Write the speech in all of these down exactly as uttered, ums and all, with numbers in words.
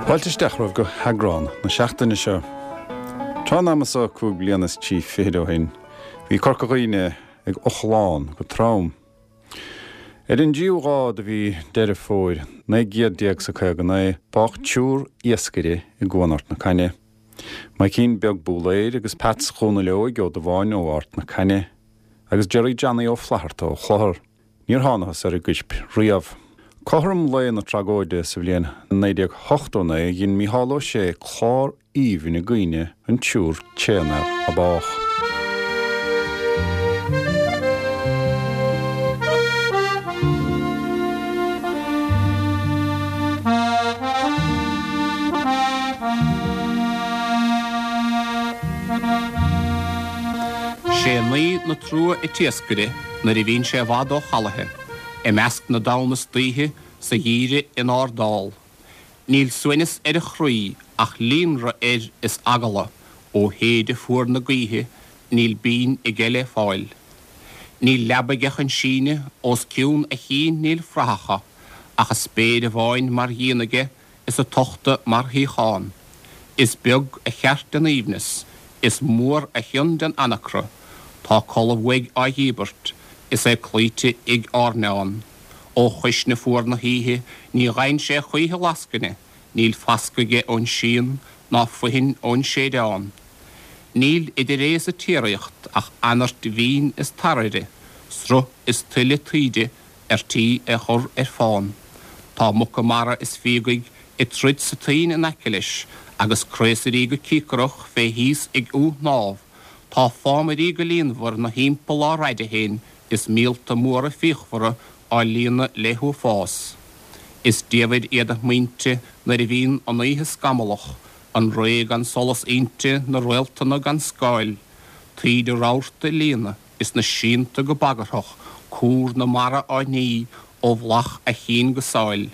Fáilte isteach romhaibh go heagrán na seachtaine seo. Tráth an ama seo cúig bliana is trí fichid ó shin, bhí Corca Dhuibhne ag ochlán go trom. Ar an dtríú lá de mhí Deireadh Fómhair naoi gcéad déag 's a caoga naoi, bádh triúr iascaire i gCuan Ard na Cainne. Maidhcín Beag Búlaeir agus Peats Dhónaill Óig Ó Dubháin ó Ard na Cainne agus Jerry Johnny Ó Flatharta ó Chlochar. Níor thángthas ar a gcoirp riamh. Cothrom lae na tragóide sa bhliain naoi déag ochtó naoi dhein Mícheál Ó Sé clár aoibhinn i gcuimhne an triúr tréanfhear a bádh. Sé naoi na trua an t-iascaire nuair a bhíonn sé i bhfad ó chalaithe, i measc na dtonn istoíche sa gheimhreadh in Ard Dall. Níl suaimhneas ar a chroí ach líonrith air is eagla ó shéideadh fuar na gaoithe, níl binn aige le fáil. Níl leaba aige chun síneadh, os cionn a chinn níl fraitheacha, ach an spéir amháin mar dhíon aige is an tochta mar shuíochán. Is beag a cheart den aoibhneas, is mór a chion den anacra, tá codladh uaidh á dhíbirt, is é cloíte ag airneán. Ó chuisne fuar na hoíche ní ghaibheann sé choíche lascaine, níl fascadh aige ón síon ná foithin ón séideán. Níl idir é is an tsíoraíocht ach anairt mhín is tarraire, sruth is tuile taoide ar tí é chur ar fán. Tá muca mara is fíogaigh ag troid sa toinn in aice leis, agus craosairí go cíocrach fé thíos ag iomshnámh, tá fámairí go líonmhar 'na thimpeall á raideadh féin is míolta móra fíochmhara á líonadh le huafás. Is diamhair iad a smaointe nuair a bhíonn an oíche scamallach, an ré gan solas inti, na réaltanna gan scáil, taoide rabharta ag líonadh is na síonta go bagarthach, cúr na mara á ní ó bhealach a chinn go sáil.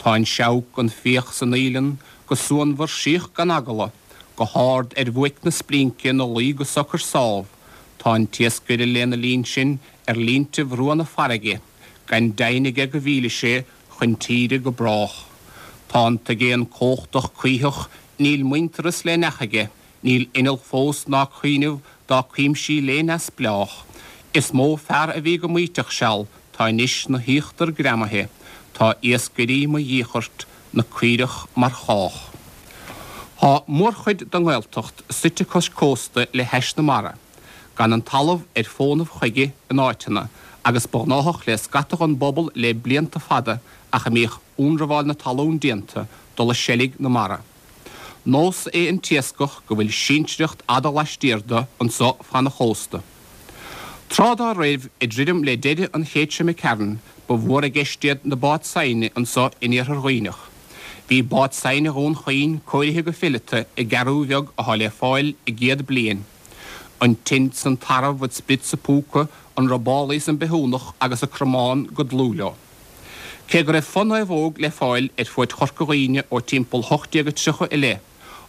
Tá an seabhac, an fiach 's an fhaoileann go suanmhar síoch gan eagla, go hard ar bhuaic na splínce 'na luí go socair sámh, Tá an t-iascaire lena linn sin ar línte bhrua na farraige, gan deimhin aige go bhfillfidh sé chun tíre go brách. Tá an t-aigéan cumhachtach cuítheach, níl muintearas le neach aige, níl inneall fós ná cuimhneamh dá cuimsí lé neamhspleách. Is mó fear a bhí go maíteach seal, tá anois 'na híochtar greamaithe, tá iascairí mo dhíchirt 'na caoireach mar chách. Tá mórchuid den nGaeltacht suite cois cósta le hais na mara, gan an talamh ar fónamh chuige in áiteanna, agus ba ghnáthach le scata den bpobal le blianta fada ach a mbíodh ionramháil na talún déanta, dul i seilg na mara. Nós é an t-iascach go bhfuil sinsearacht fhada laistiar de anso fan chósta. Tráth dá raibh, i dtuairim le deireadh an chéid seo imigh tharainn, ba mhór i gceist iad na báid saighne anso in Iarthar Dhuibhneach. Bhí bád saighne Dhún Chaoin cóirithe go fileata i gCeathrú Bheag athá le fáil i gcéad bliain. An tinn 's an tarbh, an sprid 's an púca, an robálaí 's an bithiúnach agus an cromán go dlúth leo. Cé go raibh fo-naomhóg le fáil ar fuaid Chorca Dhuibhne ó timpeall hocht déag a tríocha i leith,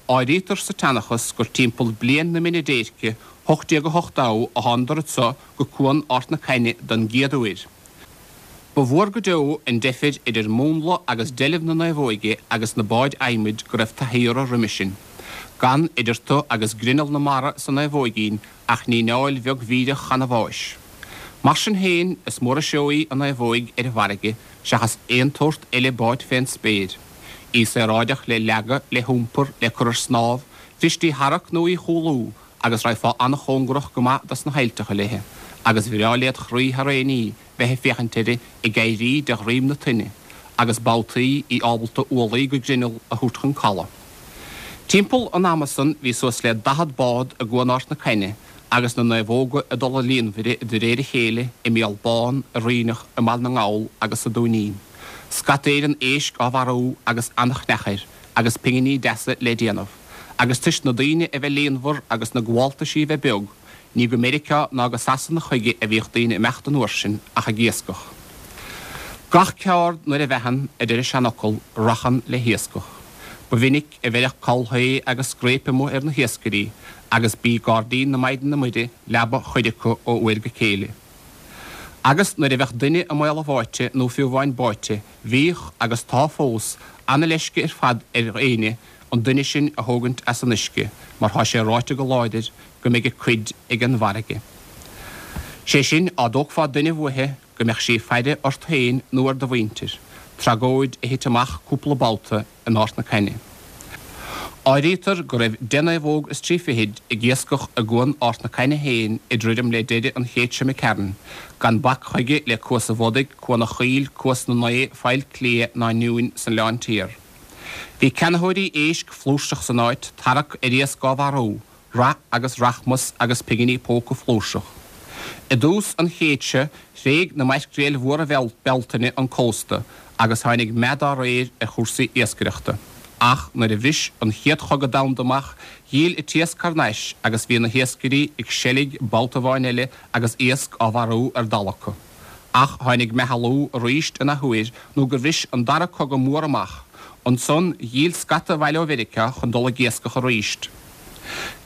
áirítear sa tseanchas gur timpeall bliain na mine déirce, hocht déag a hocht dó, a thánadar anso go Cuan Ard na Cainne don gcéad uair. Ba mhór go deo an deifir idir múnla agus deilbh na naomhóige agus na báid adhmaid go raibh taithí orthu roimhe sin. Gan idir tú agus grinneall na mara sa naomhóigín ach líneáil bheag bhídeach chanbháis. Mar sin féin, is mór an seó í an naomhóig ar an bhfarraige seachas aon tsórt eile báid fén spéir. Í saoráideach le leagadh, le hiompar, le cur ar snámh, bhrist í tharrac nó í chúlú agus raghfá an-chóngarach go maith dos na haillteacha léithe, agus bhreá led chroí thar aon ní bheith ag féachaint uirthi ag éirí de dhroim na toinne, agus babhtaí í ábalta ualaí go grinneall a thabhairt chun calaidh. Timpeall an ama san bhí suas le daichead bád i gCuan Ard na Cainne agus na naomhóga ag dul i líonmhaire de réir a chéile i mBéal Bán, i Ríneach, i mBaile na nGall agus sa Dúinín. Scataire an éisc á mharú agus an-chneach air agus pinginí deasa le déanamh. Agus toisc na daoine a bheith líonmhar agus na gabháltaisí a bheith beag, Ní go Meiriceá ná go Sasana chuige a bhíodh daoine ag imeacht an uair sin ach ag iascach. Gach ceard nuair a mheathann, a deir an seanfhocal, rachann le hiascach. Ba mhinic a bheireadh callthae agus scréip amuigh ar na hiascairí agus b'í gairdín na Maighdine Muire leaba chuid acu ó uair go céile. Agus nuair a bheadh duine i mbaol a bháite nó fiú amháin báite, bhíodh, agus tá fós, ana-leisce ar fad ar éinne an duine sin a thógaint as an uisce mar tá sé ráite go láidir go mbeidh a cuid ag an bhfarraige. Sé sin, á dtógfá duine uaithi, go mbeadh sí ag faire ort féin nó ar do mhuintir, tragóid a thit amach cúpla babhta in Ard na Caithne. Áirítear go raibh deich naomhóg is trí fichid ag iascach i gcuan Ard na Caithne féin i dtuairim le deireadh an chéid seo imigh tharainn, gan bac chuige le Cuas an Bhodaigh, Cuan an Chaoil, Cuas na Naoi, Faill Cliath ná Newin san Oileán Tiar. Bhí ceannaitheoirí éisc flúirseach san áit, tarrac ar iasc á mharú, rath agus rachmas agus pinginí póca flúirseach. I dtús an chéid seo, thréig na maircréil mhóra Bealtaine an cósta agus tháinig meath dá réir ar chúrsaí iascaireachta. Ach nuair a bhris an Chéad Chogadh Domhanda amach, dhíol an t-iasc thar n-ais agus bhí na hiascairí ag seilg babhta amháin eile agus iasc á mharú ar dall acu. Ach tháinig meathlú arís in athuair nó gur bhris an Dara Cogadh Mór amach. Ansan dhíol scata abhaile ó Mheiriceá chun dul ag iascach arís.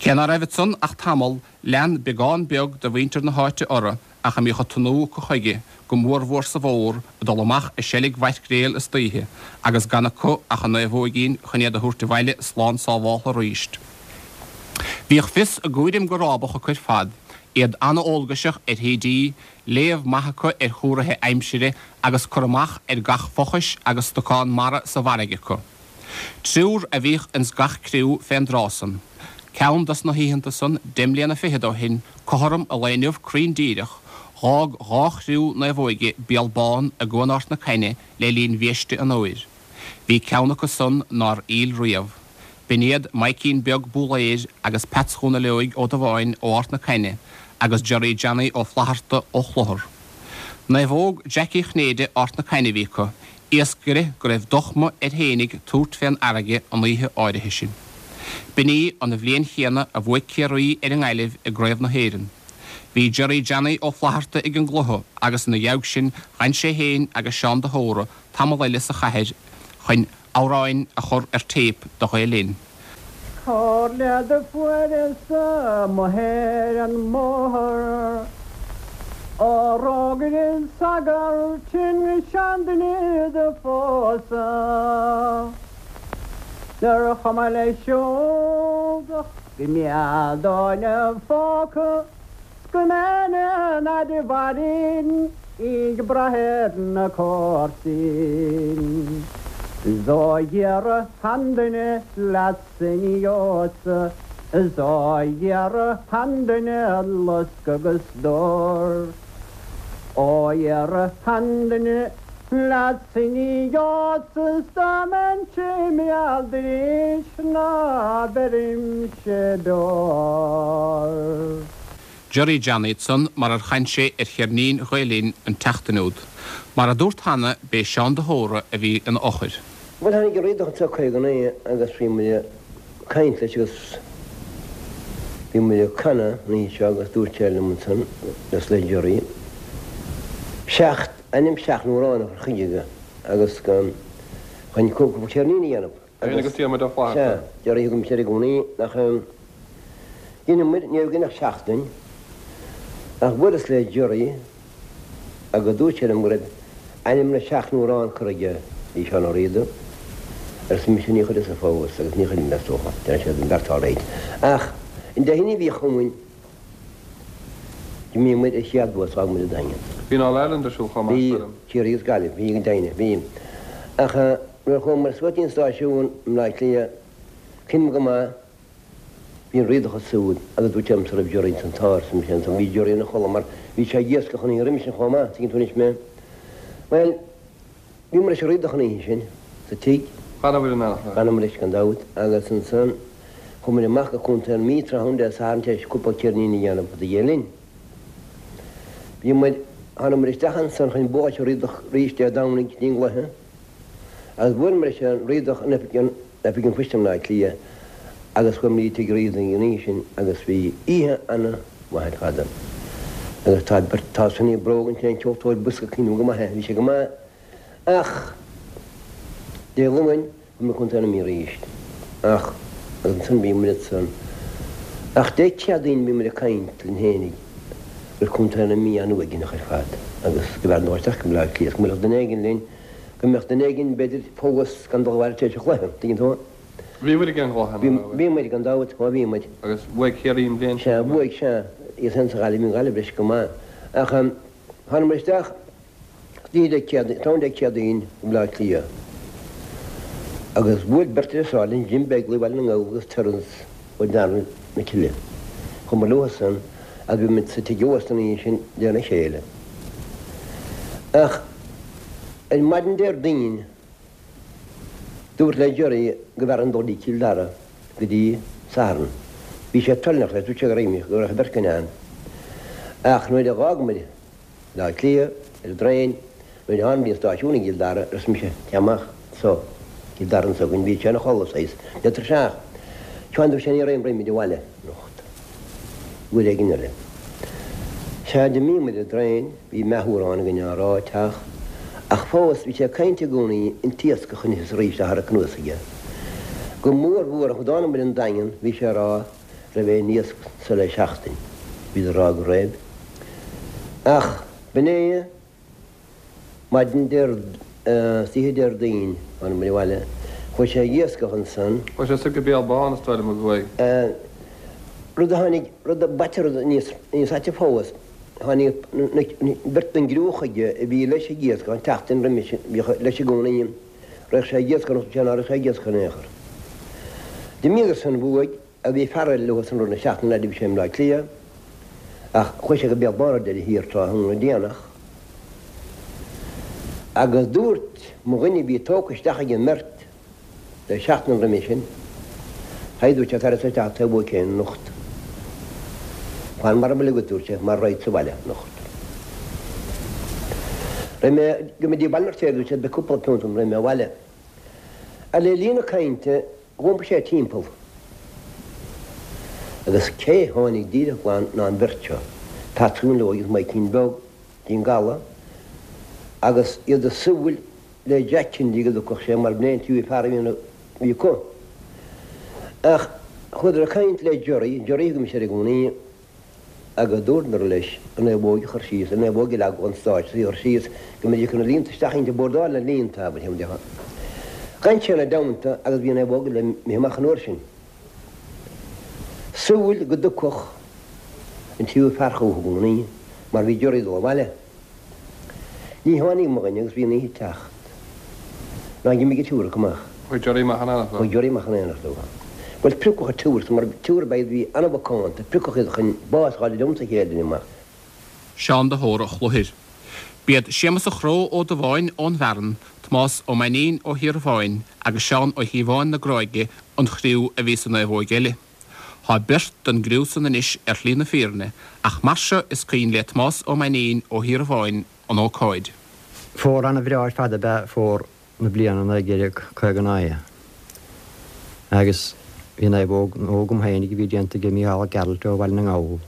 Cé ná raibh ansan ach tamall, lean beagán beag de mhuintir na háite orthu ach a mbíodh an tnúth acu chuige, go mórmhór sa bhfómhar, ag dul amach ag seilg mhaircréal istoíche agus gan acu ach an naomhóigín chun iad a thabhairt abhaile slán sábháltha arís. Bhíodh fios a gcúraim go rábach acu ar fad, iad an-eolgaiseach ar thaoidí, léamh maith acu ar chúraithe aimsire agus cur amach ar gach fochais agus stocán mara sa bhfarraige acu. Triúr a bhíodh ins gach criú fén dtráth san. Ceann dos na hoícheanta san, deich mbliana fichead ó shin, cothrom an lae inniu cruinn díreach, dh'fhág dhá chriú naomhóige béal bán i gCuan Ard na Caithne le linn bhiaiste an fhómhair. Bhí ceann acu san nár fhill riamh. B'in iad Maidhcín Beag Búlaeir agus Peats Dhónaill Óig Ó Dubháin ó Ard na Caithne agus Gerry Johnny Ó Flatharta ó Chlochar. Naomhóg Jackie Chinnéide Ard na Caithne a bhí acu, iascaire go raibh dochma air fhéinig tabhairt fén fharraige an oíche áirithe sin. B'in í an bhliain chéanna a bhuaigh Ciarraí ar an nGaillimh i gCraobh na hÉireann. Bhí Gerry Johnny Ó Flatharta ag an gcluiche agus ina dhiaidh sin dh'fhan sé féin agus Seán de hÓra tamall eile sa chathair chun amhráin a chur ar téip do Ghael Linn. Comhairle do fuaireas-sa amuigh ar an mbóthar Á rá go raibh sagart tinn seanduine do phósadh Nár chuma leis siúd ach go mbeadh dó ina phóca 's go mbeinn an fhaid a mhairfinn ag brath ar na comharsain. 'S ó iarradh aon duine leatsa ní gheobhadsa, 's ó iarradh aon duine lusc agus dor. Ó iarradh aon duine leatsa ní gheobhadsa 's dá mbeinnse im ealda arís ná beirimse beoir. Gerry Johnny ansan mar ar chan sé ar cheirnín Ghael Linn an tseachtain úd. Mar a dúrt cheana, b'é Seán de hÓra a bhí ina eochair. Bhuel, tháinig an Riadach anseo caoga naoi agus bhí muid ag caint leis agus bhí muid ag canadh an oíche seo agus dúirt sé liom ansan, agus le Gerry, seacht, ainm seacht n-amhrán a chur chuige agus go, chun cúpla ceirnín a dhéanamh. Féin agus Diarmuid Ó Flaithearta. Sea, Gerry thug mise air i gcónaí nach. Dheineamair, ní raibh againn ach seachtain, ach bhuaileas le Gerry agus dúirt sé liom go raibh ainm na seacht n-amhrán curtha aige bhí Seán Ó Riada, arsa mise, ní chuireas-sa fós agus ní chuirfidh mé is dócha, déanfaidh siad an beart alright. Ach an Dé hAoine a bhí chugainn, d'imigh muid ar chéad bhus, d'fhág muid an Daingean. Bhí an All-Ireland ar siúl chomh maith, Bhí, sílim. Ciarraí agus Gaillimh, bhí go deimhin, bhí. Ach nuair a chuamar suas dtí an stáisiún i mBleá Cliath, cuimhním go maith, Bhí an Riadach ansúd agus dúirt sé liomsa raibh Gerry ansan tá arsa mise ansan bhí Gerry ina chodladh mar bhí sé ag iascach an oíche roimis sin chomh maith, tuigeann tú anois mé. Bhuel, bhíomar leis an Riadach an oíche sin sa tigh. D'fhanamar in éineacht leis. D'fhanamar leis gan dabht agus ansan chuaigh muid amach go Contae na Mí tráthnóna Dé Sathairn tar éis cúpla ceirnín a dhéanamh do Ghael Linn. Bhí muid, thánamar isteach ansan chun bualadh leis an Riadach arís Dé Domhnaigh go dtí an gcluiche agus bhuaileamar leis an Riadach in oifig an Oifig an Phoist i mBleá Cliath agus chuaigh muid tigh Riadaigh an oíche sin agus bhí oíche ana mhaith ar fad. Agus tá beirt, tá Sonny Brogan, sin an ceoltóir bosca cuimhním go maith é, bhí sé go maith. Ach Dé Luain, bhí mé Contae na Mí arís. Ach, agus ansan bhí muid ansan. Ach Dé Céadaoin bhí muid ag caint linn fhéinig go raibh Contae na Mí an-uaigneach ar fad agus go mb'fhearr dul isteach go Baile Átha Cliath, go mbeadh duine éigin linn, go mbeadh duine éigin b'fhéidir fós gan dul abhaile tar éis an chluiche, tuigeann tú? Bhí muid ag an gcluiche, Bhí, bhí muid gan dabht, ó bhí muid. Agus bhuaigh Ciarraí an bhliain sin. Sea, bhuaigh, sea, iad féin sa Ghaillimh, bhí an Ghaillimh leis go maith. Ach tháinig muid isteach oíche Dé Céadaoin, tráthnóna Dé Céadaoin go Baile Átha Cliath agus bhuail beirt deartháir linn, Jim Begley Bhaile na nGall agus Terence ó Dhearna na Cille. Chuamar leo san agus bhí muid sa tigh ósta an oíche sin de réir a chéile. Ach ar maidin Déardaoin, Dúrt le Gerry go mb'fhearr dul go Cill Dara go dtí Satharn. Bhí sé toilneach leis, dúirt sé go raibh go raibh beirt againn ann. Ach nuair a dh'fhág muid Baile Átha Cliath ar an dtraein, nuair a tháinig muid an stáisiún i gCill Dara, arsa mise, téigh amach anso, Cill Dara anso againn, bhí sé ina chodladh saghas, le tuirseach. Seán, dúirt sé, ní raghaidh muid abhaile anocht. Uair éigin eile. Sea, d'imigh muid ar an dtraein, bhí meath úr againn á rá ag teacht, ach fós bhí sé ag caint i gcónaí an t-iascach anois is arís á tharrac anuas aige. Go mór mhór nuair a tháinig muid an Daingean, bhí sé ag rá raibh aon iasc anso le seachtain. Bhíodar ag rá go raibh. Ach b'in é. Maidin oíche Déardaoin tháinig muid abhaile. Chuaigh sé ag iascach ansan. Chuaigh sé soir go Béal Bán is dóigh liom a chuaigh. Rud a tháinig, rud a b'aite, rud níos, níos aite fós, tháinig beirt den gcriú chuige a bhí leis ag iascach an tseachtain roimis sin, bhíodh leis i gcónaí, raghadh sé ag iascach nó sé ná raghadh sé ag iascach in aon chor. D'imíodar san uaidh agus bhí fear eile leo san rud na seachtaine fhad a bhí sé i mBleá Cliath ach chuaigh sé go Béal Bán ar deireadh thiar tráthnóna déanach agus dúirt mo dhuine a bhí tógtha isteach ag an mbeirt le seachtain roimhe sin, Haigh, dúirt sé, tar isteach taobh uaidh féin anocht. Fan mar a bhfuil agat, dúirt sé, mar raghadsa abhaile anocht. Raghaidh mé go dtí Baile an Fheirtéaraigh, dúirt sé, beidh cúpla punt agam, raghaidh mé abhaile. Ach le linn na cainte, dh'iompaigh sé timpeall. Agus cé tháinig díreach glan ná an bheirt seo, Peatsaí an Leoid agus Maidhcín Beag dtí'n gcaladh, agus iad ag súil le Jack Kennedy go dtiocfadh sé mar b'in é an tríú fear a bhí acu. Ach chuadar ag caint le Gerry, Gerry a thugaimse air i gcónaí, agus dúradar leis an naomhóg a chur síos, an naomhóg a leagadh an stáitse a chur síos go mbeidís chun na líonta isteach inti, bordáil na líonta, abair, déarfá. D'fhan sé ina dteannta agus bhí an naomhóg le imithe amach an uair sin. Súil go dtiocfadh an tríú fear chucu i gcónaí mar bhí Gerry ag dul abhaile. Ní tháinig mo dhuine agus bhí an oíche ag teacht. Ná d'imigh an triúr acu amach. Chuaigh Gerry amach in éineacht leo. Chuaigh Gerry amach in éineacht leo. Bhuel, priocadh an triúr san mar triúr ab ea iad a bhí an-mhacánta, priocadh iad chun bás a fháil liomsa chéad duine amach. Seán de hÓra Chluachair. B'iad Séamus a' Chró Ó Dubháin ón bhFearann, Tomás Ó Mainnín ó Thír agus Seán Ó Cíobháin na Gráige an chriú a bhí sa naomhóig eile. Tá beirt den gcriú san anois ar shlí na fírinne, ach mar seo is cuimhin le Tomás Ó Mainnín ó Thír an an ócáid. Fómhar ana-bhreá ar fad ab ea fómhar na bliana naoi déag caoga naoi agus bhí naomhóg nua agam féinig a bhí déanta ag Mícheál Ó Gearailt ó Bhaile na nGall,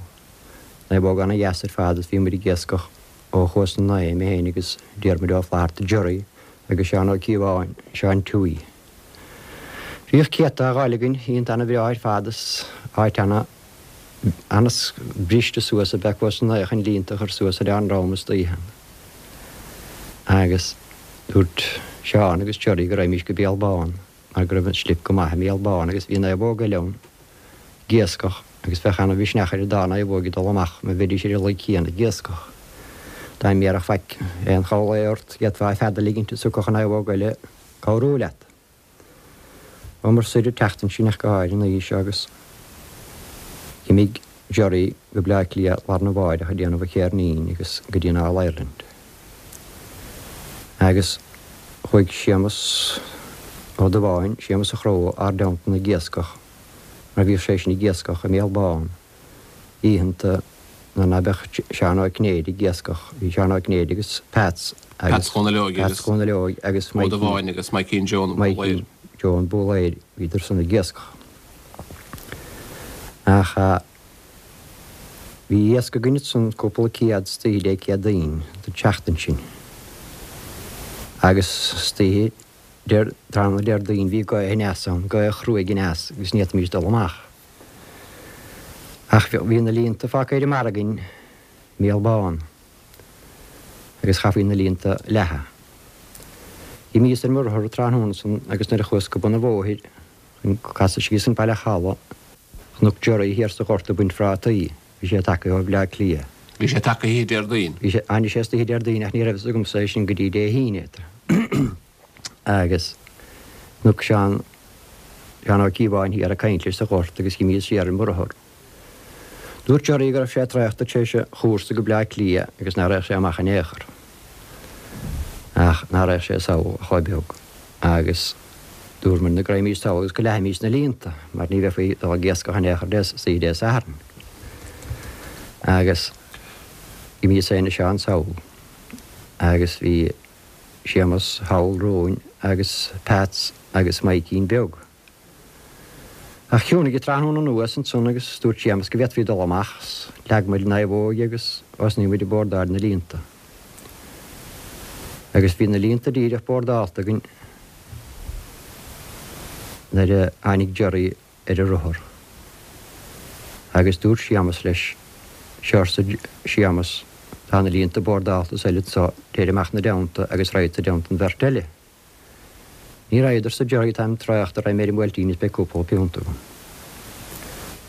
naomhóg ana-dheas ar fad is bhí muid ag iascach ó Chuas na Naoi, mé féin agus Diarmuid Ó Flatharta, Gerry, agus Seán Ó Cíobháin, Seán Tuí. Bhíodh céadta á ghabháil againn, oícheanta ana-bhreá ar fad is áit ana ana-bhriste suas ab ea Cuas na Naoi chun líonta a chur suas ar an ndrom istoíche. Agus dúirt Seán agus Gerry go raghaimís go Béal Bán mar go raibh an slip go maith i mBéal Bán agus bhí naomhóg eile ann ag iascach agus bheadh ana-mhisneach ar an dá naomhóig ag dul amach má bheidís ar an laoi céanna ag iascach. Dá mbéarfadh faic aon chor lae ort d'fhéadfá fead a ligint is thiocfadh an naomhóg eile cabhrú leat. Chuamar soir an tseachtain sin ach go háirithe an oíche seo agus d'imigh Gerry go Bleá Cliath lá arna mháireach ag déanamh a chéirnín agus go dtí an All Ireland. Agus chuaigh Séamus Ó Dubháin, Séamus a' Chró, ár dteannta ag iascach mar bhíodh sé sin ag iascach i mBéal Bán oícheanta nuair ná beadh Seán Ó Cinnéide ag iascach. Bhí Seán Ó Cinnéide agus Peats agus Peats Dhónaill Óig Peats agus Dhónaill Óig agus Ó Maidhcí Dubháin agus Maidhcín Joe an Maidhcí Bhólaeir. Joe an Bhólaeir, bhíodar san ag iascach. Ach Bhí iasc againn ansan cúpla céad istoíche Dé Céadaoin don tseachtain sin. Agus istoíche tráthnóna Déardaoin bhí gaoth aneas ann, gaoth chruaidh aneas agus ní fhéadfaimis dul amach. Ach bhí na líonta fágtha ar an mbarra againn i mBéal Bán agus chaithfí na líonta a leathadh. D'imíos ar mo rothar tráthnóna san agus nuair a chuas go bun an bhóthair chun casadh síos an Baile Chalaidh, chonac Gerry thiar sa ghort ag baint phrátaí. Bhí sé tagtha ó Bhleá Cliath. Bhí sé tagtha oíche Déardaoin. Bhí sé, tháinig sé istoíche Déardaoin ach ní raibh fhios agamsa é sin go dtí Dé hAoine. Agus chonac Seán, Seán Ó Cíobháin thiar ag caint leis sa ghort agus d'imíos siar ar mo rothar. Dúirt Gerry go raibh sé traochta tar éis a chúrsa go Bleá Cliath agus nach raghadh sé amach in aon chor. Ach nach raghadh sé sall chomh beag. Agus dúramar go raghaimís sall agus go leathfaimís na líonta, mar ní bheifí ag dul ag iascach in aon chor istoíche Dé Sathairn. Agus d'imíos féin is Seán sall. Agus bhí Séamus thall romhainn agus Peats agus Maidhcín Beag. Ach chiúnaigh an tráthnóna anuas ansan agus dúirt Séamus go bhféadfaí dul amach 's leag muid an naomhóg agus thosnaigh muid ag bordáil na líonta. Agus bhí na líonta díreach bordálta againn nuair a tháinig Gerry ar a rothar. Agus dúirt Séamus leis, Seo arsa Séamus, tá na líonta bordálta is eile anso, téir amach 'na dteannta agus raghadsa i dteannta an bheirt eile. Ní raghad, arsa Gerry, táim traochta, raghaidh mé ar an mBuailtín is beidh cúpla piúnt agam.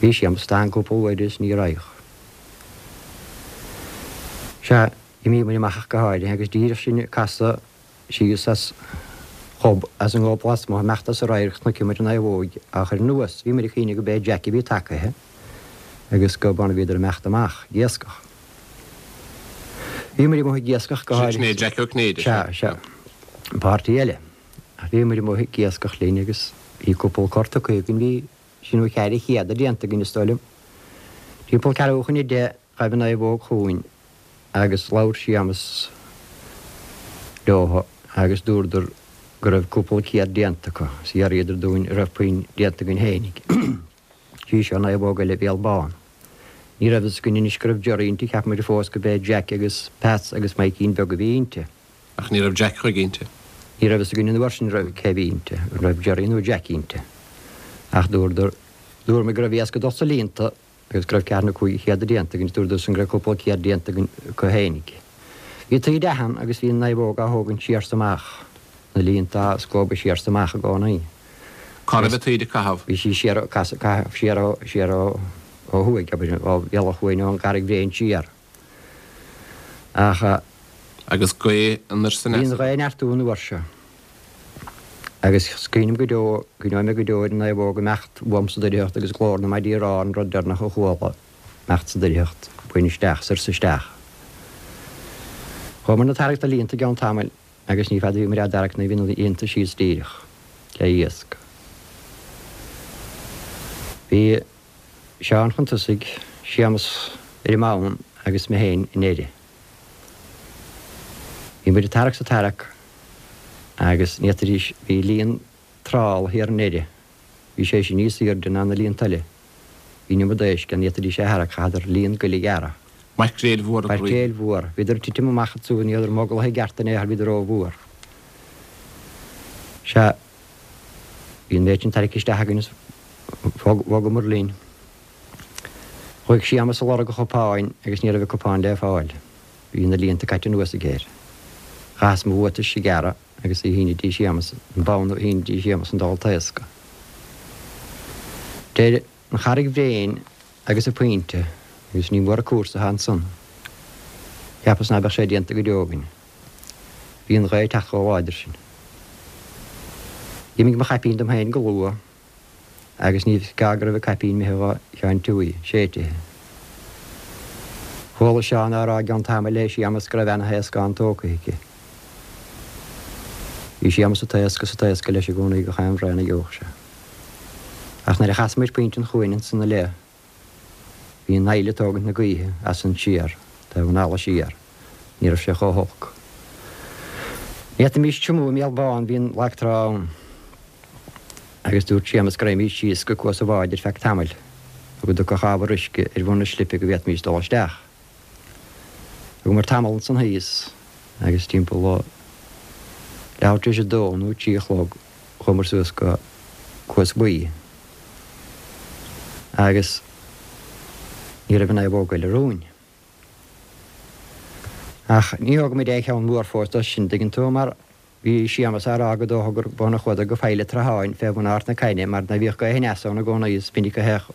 Bhí Séamus stán cúpla uair is ní raghadh. Sea, d'imigh muid amach ach go háirithe agus díreach sinn ag casadh síos as gob, as an ngob lasmuigh, imeacht as an radharc, chonaic muid an naomhóg á chur anuas. Bhí muid ag cuimhneamh go b'é Jack a bhí tagaithe agus go b'ann a bhíodar imeacht amach ag iascach. Bhí muid amuigh ag iascach go háirithe. Sin é Jack Ó Cinnéide. Sea, sea. Páirtí eile. Ach bhí muid amuigh ag iascach linn agus bhí cúpla cor tugtha againn, bhí trí nó ceithre chéad déanta againn is dóigh liom. Timpeall ceathrú chun a deich ghaibh an naomhóg chugainn agus labhair Séamus leo agus dúradar go raibh cúpla céad déanta acu is d'fhiafraíodar dúinn an raibh puinn déanta againn fhéinig. Sí seo naomhóg eile Bhéal Bán. Ní raibh fhios againn anois go raibh Gerry inti, cheap muid fós go b'é Jack agus Peats agus Maidhcín Beag a bhí inti. Ach ní raibh Jack chuige inti. Ní raibh fhios againn an uair sin raibh cé bhí inti, an raibh Gerry nó Jack inti. Ach dúradar, dúramar go raibh iasc ag dul sna líonta agus go raibh ceathair nó cúig chéad déanta againn, dúradar san go raibh cúpla céad déanta againn acu fhéinig. Bhí taoide ann agus bhí an naomhóg á thógaint siar 's amach, na líonta á scóbadh siar 's amach i gcónaí. Cá raibh an taoide ag caitheamh? Bhí sí siar, ag caitheamh siar ó, siar ó, ó thuaidh, abair, ó Bhealach Chuain ón gCarraig Bhréin siar. Ach. Agus gaoth anoir 's aneas. Bhí an ghaoth ag neartú an uair seo. Agus is cuimhin liom go deo, cuimhneoidh mé go deo ar an naomhóg imeacht uaim sa doircheacht agus glór na maidí aráin an rud deireanach a chuala imeacht sa doircheacht, buinn isteach, soir 's isteach. Chuamar ag tarrac na líonta i gceann tamaill agus ní fada a bhí muid á dtarrac nó bhí na líonta síos díreach le iasc. Bhí Seán chun tosaigh, Séamus ar an mbonn agus mé féin i ndeireadh. Bhí muid ag tarrac 's ag tarrac agus ní fhéadfaidís, bhí líon trála thiar i ndeireadh, bhí sé sin níos aoirde ná na líonta eile. Bhí an iomad éisc ann, ní fhéadfaidís é a tharrac, chaitheadar líon goil a ghearradh. Maicréil mhór a Maicréil mhór. Bhíodar ag titim amach ansúd, ní rabhadar moglaithe i gceart in aon chor, bhíodar ró-mhór. Sea, bhí an méid sin tarraicthe isteach againn is bhogamar linn. Chuaigh Séamus ag lorg a chupáin agus ní raibh a cupán le fáil. Bhí na líonta caite anuas aige air. Chaitheas mo bhuatais a ghearradh agus a shíneadh dtí Séamus, an bonn a shíneadh dtí Séamus an dá taoscadh. Idir an Charraig Bhréin agus an pointe, agus ní mór an cúrsa atá ansan. Cheapas ná beadh sé déanta go deo againn. Bhí an ghaoth ag teacht chomh láidir sin. D'imigh mo chaipín dom féin go luath agus ní gá go raibh an caipín imithe dhá Sheáin Tuaí, séidthe. Chuala Seán á rá i gceann tamaill le Séamus go raibh ana-thaoscán tógtha aici. Bhí Séamus ag taoscadh is ag taoscadh leis i gcónaí gach aon bhraon a gheobhadh sé. Ach nuair a chas muid pointe an chuain ansan i leith, bhí an fhaill ag tógaint na gaoithe as an siar, taobh an fhalla siar. Ní raibh sé chomh holc. Ní fhéadfaimis tiomú i mBéal Bán, bhí an lag trá ann. Agus dúirt Séamus go raghaimís síos go Cuas an Bháid ar feadh tamaill, go dtiocfadh ábhar uisce ar bhun an slipe go bhféadfaimis dul isteach. Thugamar tamall ansan thíos agus timpeall a leathuair tar éis a dó nó a trí a chlog chuamar suas go Cuas Buí agus ní raibh an naomhóg eile romhainn. Ach ní thóg muid aon cheann mór fós de sin, tuigeann tú, mar bhí Séamas á rá go dócha gur b'ann a chuadar go Faill an tSratháin fé bhun Ard na Caithne mar ná bhíodh gaoth aneas ann i gcónaí is minic a théadh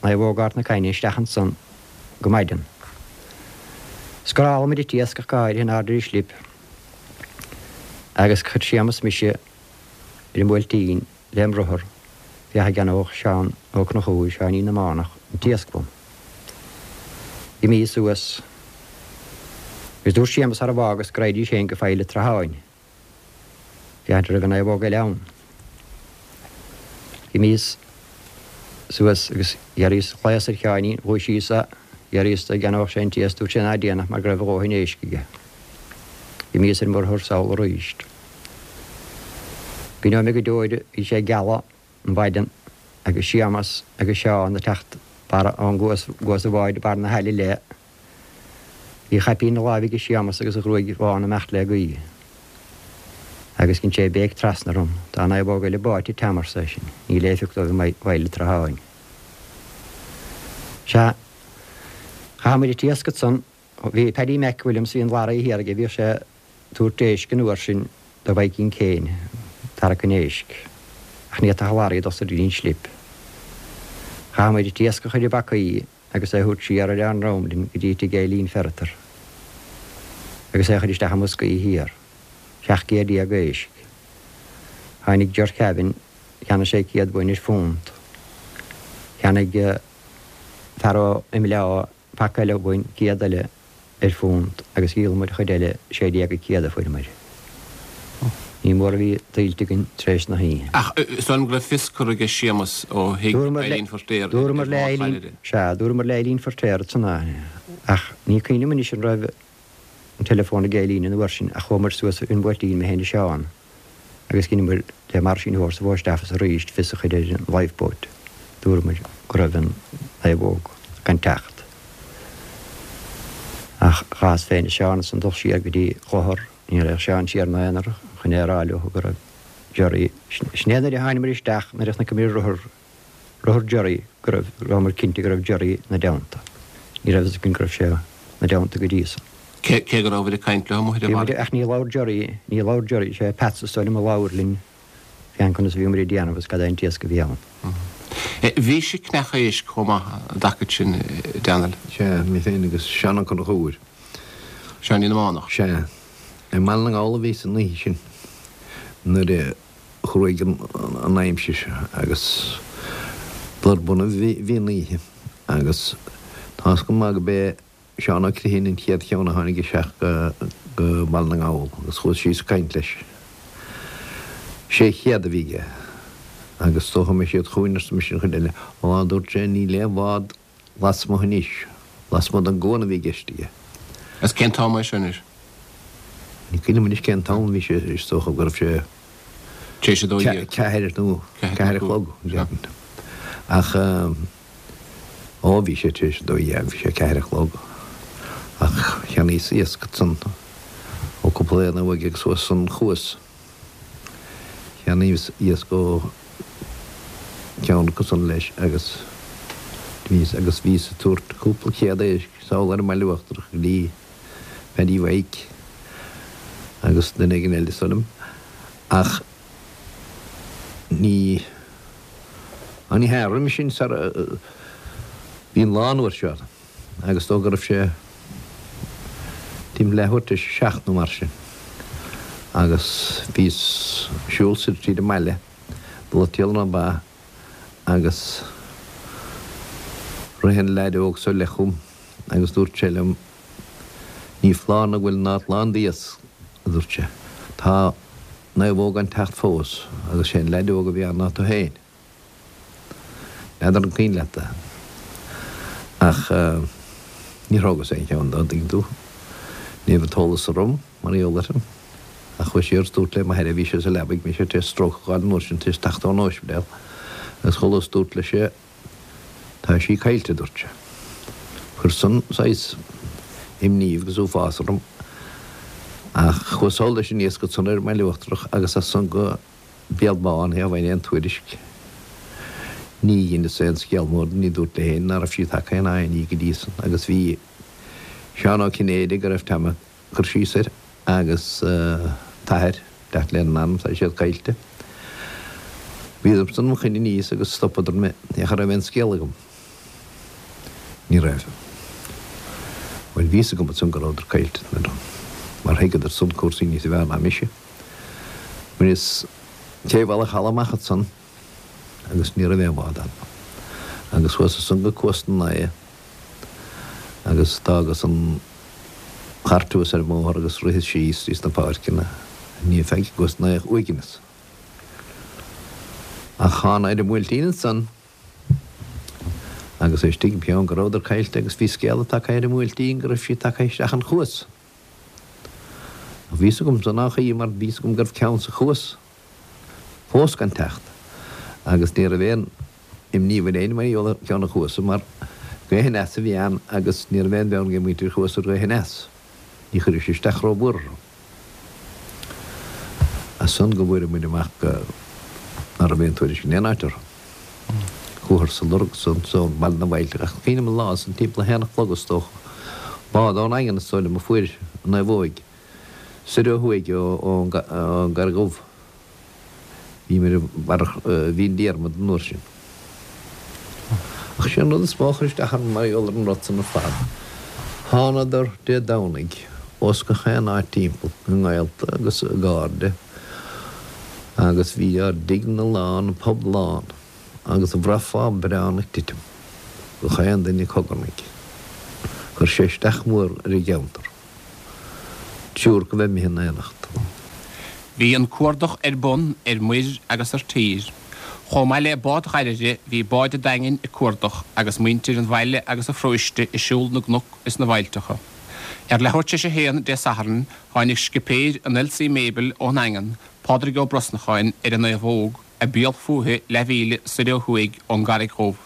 naomhóg Ard na Caithne isteach ansan go maidin. Scóráil muid an t-iasc ach go háirithe in airde ar an slip agus chuir Séamas mise ar an mBuailtín lem rothar féach an gceannódh Seán Ó Conchúir, Seáinín na mBánach, an t-iasc uaim. D'imíos suas agus dúirt Séamas sara bhfágas go raghaidís féin go Faill an tSratháin féachaint an raibh an naomhóg eile ann. D'imíos suas agus d'iarraíos ghlaos ar Sheáinín, dhúisíos é, d'iarraíos de an gceannódh sé an t-iasc, dúirt sé ná déanfadh mar go raibh a dhóthain éisc aige. D'imíos ar mo rothar sall arís. Cuimhneoidh mé go deo air, bhí sé ag gealadh an mhaidin agus Séamas agus Seán ag teacht barra ón gcuas, gcuas an bháid barr na haille le. Bhí a chaipín ina láimh aige Séamas agus a ghruaig bhán ag imeacht le gaoith. Agus dhein sé béic trasna orm, Tá an naomhóg eile báite Tom ar seisean, níl éifeacht dóibh i bhFaill an tSratháin. Sea, chaith muid an t-iasc ansan, bhí Paddy Mac Williams, bhí an lorry thiar aige, bhíodh sé ag tabhairt éisc an uair sin do Mhaidhcín Kane, tarrac an éisc, ach ní fhéadfadh an lorry dul soir go dtí an slip. Chaith muid an t-iasc a chur i bpacaí agus é a thabhairt siar ar ár ndroim linn go dtí tigh Eileen Ferriter agus é a chur isteach i mboscaí thiar. Seacht gcéad déag éisc. Tháinig Ger Kevin, cheannaigh sé céad uainn ar phunt. Cheannaigh fear ó Imleá paca eile uainn, céad eile ar phunt agus dhíol muid an chuid eile, sé déag an céad a fuair muid. Ní mór a bhí tuillte againn tar éis na hoíche. Ach is dóigh liom go raibh fios curtha aige Séamus ó thigh Eileen Feirtéar ar Dúramar le Bhád Eileen, Chailire. sea, dúramar le Eileen Feirtéar ansan ach ní cuimhin liom anois an raibh an teileafón ag Eileen an uair sin ach chuamar suas ar an Bhuailtín, mé féin is Seán, agus dheineamar le Marsín Horse sa Phost Office arís fios a chur ar an lifeboat. Dúramar go raibh an naomhóg gan teacht. Ach chaitheas féin is Seán ansan dul siar go dtí Clochar, ní raghadh Seán siar ina aonar chun é a rá leo go raibh Gerry, sin é nuair a thánamar isteach nuair a chonaiceamar rothar rothar Gerry go raibh, rabhamar cinnte go raibh Gerry ina dteannta. Ní raibh fhios againn go raibh sé ina dteannta go dtí san. Cé cé go rabhabhair ag caint leo amuigh ar an Bhí muid, bhaile? ach ní labhair Gerry, ní labhair Gerry, sé Peats is dóigh liom a labhair linn fén conas a bhíomar ag déanamh agus cad é an t-iasc a bhí ann. Bhís ag ceannach éisc chomh maith an dtaca sin, a Daniel? Sea, mé féin agus Seán Ó Conchúir. Seáinín na mBánach. Sea. I mBaile na nGall a bhíos an oíche sin nuair a chruaigh an aimsir agus blur bunaidh bhí an oíche agus tá's go maith go b'é Seán Ó Criomhthain an chéad cheann a tháinig isteach go Baile na nGall agus chuas síos ag caint leis. Sé chéad a bhí aige agus is dócha go mbeidh siad chugainn arsa mise an chuid eile. Ó a dúirt sé níl aon bhád lasmuigh anois, lasmuigh den gcuan a bhí i gceist aige. Agus cén t-am é seo anois? Ní cuimhin liom anois cén t-am a bhí sé, is dócha go raibh sé Tar éis a dó dhéag. ceathair nó ceathair a chlog, déarfainn. Ach ó bhí sé tar éis a dó dhéag, bhí sé ceathair a chlog. Ach cheannaíos iasc ansan ó cúpla éan uaidh agus suas an chuas. Cheannaíos iasc ó cheann acu san leis agus bhíos agus bhíos ag tabhairt cúpla céad éisc sall ar an mBaile Uachtarach go dtí Paddy Mhaidhc agus duine éigin eile is dóigh liom. Ach ní ní hea roimhe sin sara bhí an lá an uair seo agus dóigh go raibh sé timpeall leathuair tar éis a seacht nó mar sin agus bhíos ag siúl soir tríd an mbaile dul ag triall ar na ba agus rith an leaid óg seo i leith chugam agus dúirt sé liom Ní foláir nó go bhfuil an áit lán d'iasc, a dúirt sé. Tá naomhóg gan teacht fós agus sé an leaid óg a bhí ann ná tú féin. N'fheadar an cuimhin leat é. Ach níor thógas aon cheann dó, an dtuigeann tú. Ní raibh an t-eolas orm, mar gheall air sin. Ach chuas siar is dúrt le m'athair, bhí sé sa leabaidh, bhí sé tar éis stróc a dh'fháil an uair sin, tar éis teacht ón ospidéal, agus chuala is dúrt leis é, Tá sí caillte, a dúirt sé. Chuir san saghas imní agus uafás orm ach chuas sall leis an iasc ansan ar an mBaile Uachtarach agus as san go Béal Bán, cha bhfaighinn aon tuairisc. Ní dheineas aon scéal mór de, ní dúrt le héinne ná raibh sí tagtha in aon ní go dtí san agus bhí Seán Ó Cinnéide go raibh Tom ag cur síos air agus t'athair, teacht lena n-anam, tá siad caillte. Bhíodarsan im choinne aníos agus stopadar mé, cha raibh aon scéal agam. Ní raibh. Bhuel, bhí fhios agam ansan go rabhadar caillte, mar thuigeadar san cúrsaí níos fearr ná mise. Bhaineas taobh an chalaidh amach ansan agus ní raibh aon bhád ann. Agus chuas ansan go Cuas na nAodha agus d'fhágas an chairt thuas ar an mbóthar agus ritheas síos thríos na páirceanna. Ní feadh i gCuas na nAodha uaigneas. Ach thána ar an mBuailtín ansan agus é istigh im cheann go rabhadar caillte agus bhí scéala tagtha ar an mBuailtín go raibh siad tagtha isteach an chuas. Ach bhí fhios agamsa nách í mar bhí fhios agam go raibh ceann sa chuas fós gan teacht agus ní raibh aon imní ar éinne mar gheall ar cheann an chuasa mar gaoth aneas a bhí ann agus ní raibh aon bheann ag muintir an chuasa ar ghaoth aneas. Ní chuireadh sé isteach rómhór orthu. As san go bhfuair muid amach go ná raibh aon tuairisc in aon áit orthu. Chuathas á lorg san so Baile na bhFaillte ach cuimhním an lá san timpeall a haon a chlog is dócha. Bád ón nDaingean is dóigh liom a fuair an naomhóig soir ó thuaidh ón gCarraig Dhubh. Bhí mé ar Mhín Diarmada an uair sin. Ach sé an rud is mó a chuir isteach orm mar gheall ar an rud san ar fad, thánadar Dé Domhnaigh ós gach aon áit timpeall, a ngaolta agus a gcairde, agus bhí ár dtigeanna lán, an pub lán, agus bhraithfeá braon ag titim, gach aon duine ag cogarnaigh. Chuir sé isteach mór ar an gceantar. Triúr acu bheith imithe in éineacht. Bhí an cuardach ar bun ar muir agus ar tír. Chomh maith le bád Ghairire bhí báid an Daingin ag cuardach agus muintir an bhaile agus an pharóiste ag siúl na gcnoc is na bhfaillteacha. Ar leathuair tar éis a haon Dé Sathairn tháinig scipéir an Elsie Mabel ón nDaingean, Pádraig Ó Brosnacháin, ar an Naomhóg, ag béal fúithi leathmhíle soir ó thuaidh ón gCarraig Dhubh.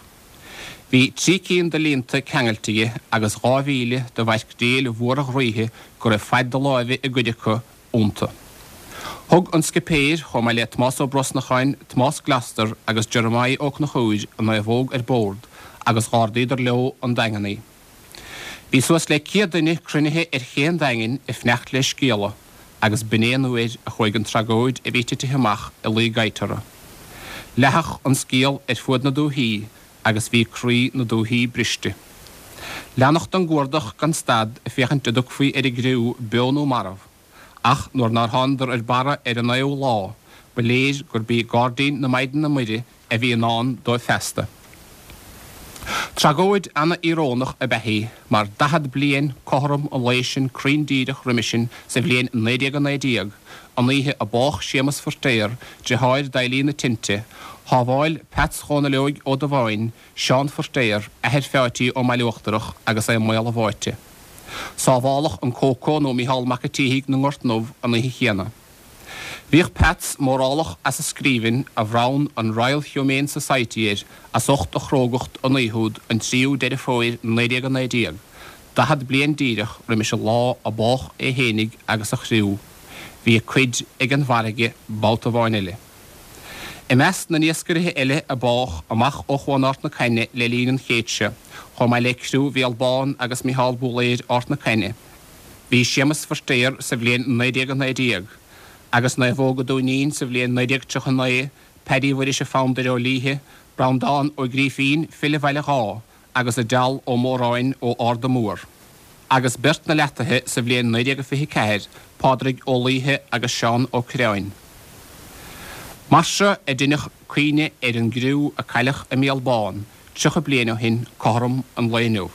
Bhí trí cinn de líonta ceangailte aige agus dhá mhíle de mhaicréil mhóra ghroíthe go raibh faid do láimhe i gcuid acu iontu. Thug an scipéir, chomh maith le Tomás Ó Brosnacháin, Tomás Gloster agus Jeremiah Ó Conchúir, an naomhóg ar bord agus dh'ardaíodar leo 'on Daingean í. Bhí suas le céad duine cruinnithe ar ché an Daingin ag fanacht le scéala agus b'in é an uair a chuaigh an tragóid a bhí titithe amach i luí gaibhte orthu. Leathadh an scéal ar fuaid na dúthaí agus bhí croí na dúthaí briste. Leanadh den gcuardach gan stad ag féachaint an dtiocfaí ar an gcriú beo nó marbh, ach nuair nár thánadar ar barra ar an naoú lá, ba léir gurb í gairdín na Maighdine Muire a bhí i ndán dóibh feasta. Tragóid ana-íorónach ab ea í, mar daichead bliain cothrom an lae sin cruinn díreach roimis sin sa bhliain naoi déag a naoi déag, an oíche a bádh Séamus Feirtéar, driotháir d'Eilín na Tinte, shábháil Peats Dhónaill Óig Ó Dubháin, Seán Feirtéar, athair Pheáití ón mBaile Uachtarach agus é i mbaol a bháite. Sábháladh an Cócó nó Mícheál Mac a' tSíthigh na nGort nDubh an oíche chéanna. Bhíodh Peats mórálach as a scríbhinn a bhronn an Royal Humane Society air as ucht a chrógacht an oíche úd an tríú Deireadh Fómhair naoi déag a naoi déag, daichead bliain díreach roimis an lá a bádh é fhéinig agus a chriú. Bhí a cuid ag an bhfarraige babhta amháin eile. I measc na n-iascairithe eile a bádh amach ó chuan Ard na Caithne le linn an chéid seo, chomh maith le criú Bhéal Bán agus Micheál Búlaeir Ard na Caithne, bhí Séamus Feirtéar sa bhliain naoi déag a naoi déag, agus Naomhóg an Dúinín sa bhliain naoi déag tríocha a naoi, Paddy Mhuiris a' Fobhandair ó Laoithe, Breandán Ó Grífín, file Bhaile Dháith, agus Edel Ó Móráin ó Arda Mór. Agus beirt na Leataithe sa bhliain naoi déag a fiche ceathair, Pádraig Ó Laoithe agus Seán Ó Cuirreáin. Mar seo a deineadh cuimhne ar an gcriú a cailleadh i mBéal Bán tríocha bliain ó shin cothrom an lae inniu.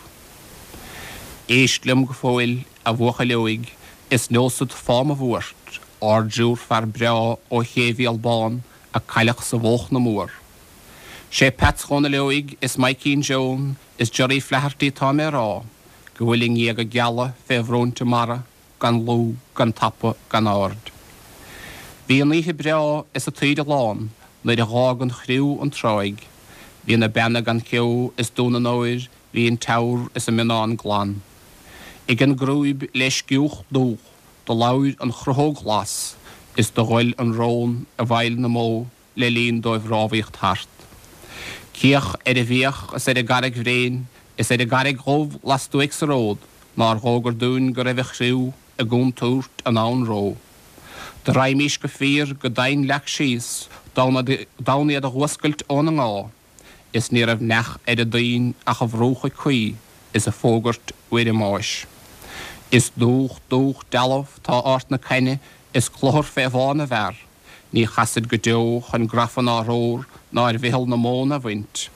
Éist liom go fóill, a bhuachaill óig, is neosad fáth mo bhuairt, ár dtriúr fear breá ó ché Bhéal Bán a cailleadh sa bhóchna mór. Sé Peats Dhónaill Óig is Maidhcín Joan is Gerry Flaherty tá mé a rá, go bhfuil a ngéaga geala fé bhróinte mara, gan lúth, gan tapa, gan aird. Bhí an oíche breá is an taoide lán nuair a dh'fhág an chriú an tráigh. Bhí na beanna gan cheo is Dún an Óir, bhí an Teamhair is an Mionnán glan. Ag an gcrúib le sciúch dúch do labhair an chruthóg ghlas is do ghoil an rón i bhfeighil na mbó le linn dóibh rámhaíocht thart. Cíoch ar an bhFiach is ar an gCarraig Bhréin is ar an gCarraig Dhubh lastuaidh sa ród nár dhógair dúinn go raibh an chriú i gcontúirt anonn ró. Do raghaimís go fíor go domhain leac síos d'fhonn iad a dh'fhuascailt óna ngá, is ní raibh neach ar an dtoinn ach a bhruacha cuí is a fógairt uair a mbáis. Is dúch dúch dealbh tá Ard na Caithne is cluthar fé bhá na bhfear, ní chasfaid go deo chun grafa ná romhar ná ar mheitheal na móna a bhaint.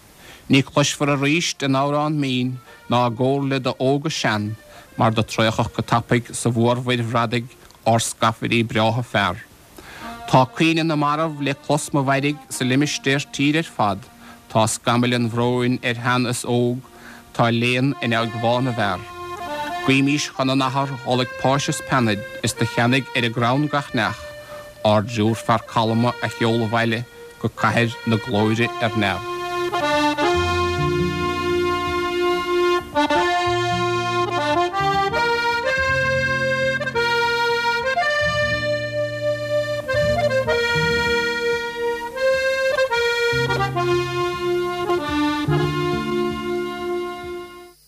Ní cloisfear aríst a n-amhrán mín ná a gcomhairle d'óg is sean, mar do traochadh go tapaidh sa mhórmhuir bhradaigh ár scafairí breátha fear. Tá caoineadh na marbh le clos mo mhairg sa limistéar tíre ar fad, tá scamaill an bhróin ar shean is óg, tá léan in aghaidh bhá na bhfear. Guímís chun an Athar d'fholaigh páis is peannaid is do cheannaigh ar an gcrann gach neach, ár dtriúr fear calma a sheoladh abhaile go cathair na glóire ar neamh.